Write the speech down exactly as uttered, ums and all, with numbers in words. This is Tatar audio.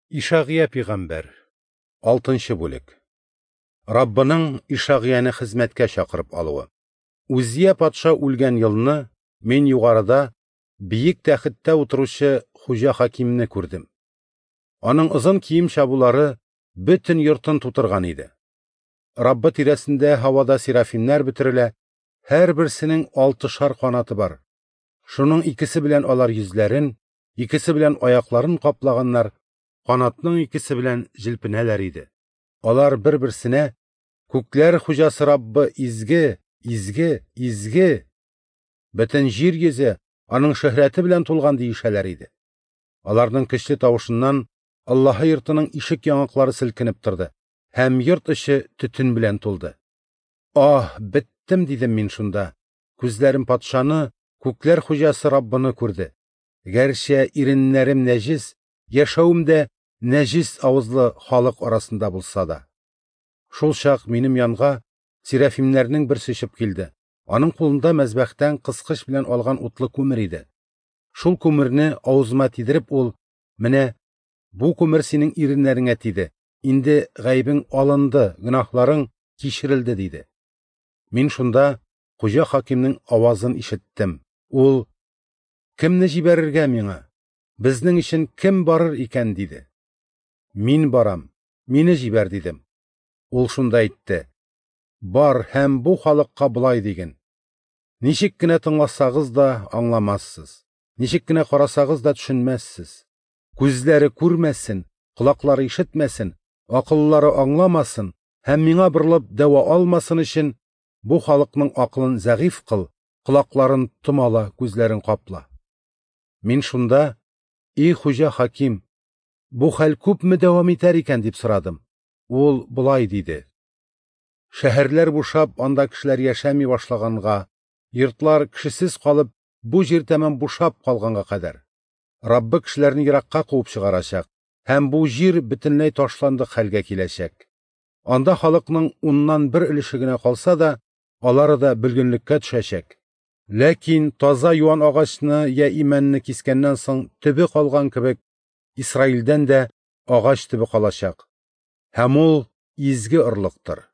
Ишагыя пәйгамбәр, алтынчы бүлек. Раббының Ишагыяне хезмәткә чакырып алуы. Үзия патша үлгән елны мин югарыда биек тәхеттә утыручы Хуҗа Хакимне күрдем. Аның озын кием чабулары бөтен йортын тутырган иде. Раббы тирәсендә һавада серафимнәр бөтерелә, һәрберсенең алтышар канаты бар. Шуның икесе белән алар йөзләрен, икесе белән аякларын каплаганнар, канатның икесе белән җилпенәләр иде. Алар бер-берсенә: "Күкләр хуҗасы Раббы изге, изге, изге! Бөтен җир йөзе аның шөһрәте белән тулган", диешәләр иде. Аларның көчле тавышыннан Аллаһы йортының ишек яңаклары селкенеп торды, һәм йорт эче төтен белән тулды. "Аһ, беттем", дидем мин шунда. Күзләрем патшаны, күкләр хуҗасы Раббыны күрде. Гәрчә иреннәрем нәҗис, яшәвем дә нәҗис авызлы халык арасында булса да. Шул чак минем янга серафимнәрнең берсе очып килде. Аның кулында мәзбәхтән кыскыч белән алган утлы күмер иде. Шул күмерне авызыма тидереп ул: "Менә бу күмер синең иреннәреңә тиде. Инде гаебең алынды, гөнаһларың кичерелде", диде. Мин шунда Хуҗа Хакимнең авазын ишеттем. Ул: "Кемне җибәрергә миңа? Безнең өчен кем барыр икән?" диде. "Мин барам, мине җибәр", дидем. Ул шунда әйтте: "Бар һәм бу халыкка болай диген: Ничек кенә тыңласагыз да аңламассыз, ничек кенә карасагыз да төшенмәссез. Күзләре күрмәсен, колаклары ишетмәсен, акыллары аңламасын һәм миңа борылып дәва алмасын өчен бу халыкның акылын зәгыйфь кыл, колакларын томала, күзләрен капла". Мин шунда: "И Хуҗа Хаким, бу хәл күпме дәвам итәр икән?" дип сорадым. Ул болай диде: "Шәһәрләр бушап, анда кешеләр яшәми башлаганга, йортлар кешесез калып, бу җир тәмам бушап калганга кадәр, Раббы кешеләрне еракка куып чыгарачак, һәм бу җир бөтенләй ташландык хәлгә киләчәк. Анда халыкның уннан бер өлеше генә калса да, алары да бөлгенлеккә төшәчәк. Ләкин таза юан агачны я имәнне кискәннән соң төбе калган кебек, Исраилдән дә агач төбе калачак. Һәм ул изге орлыктыр".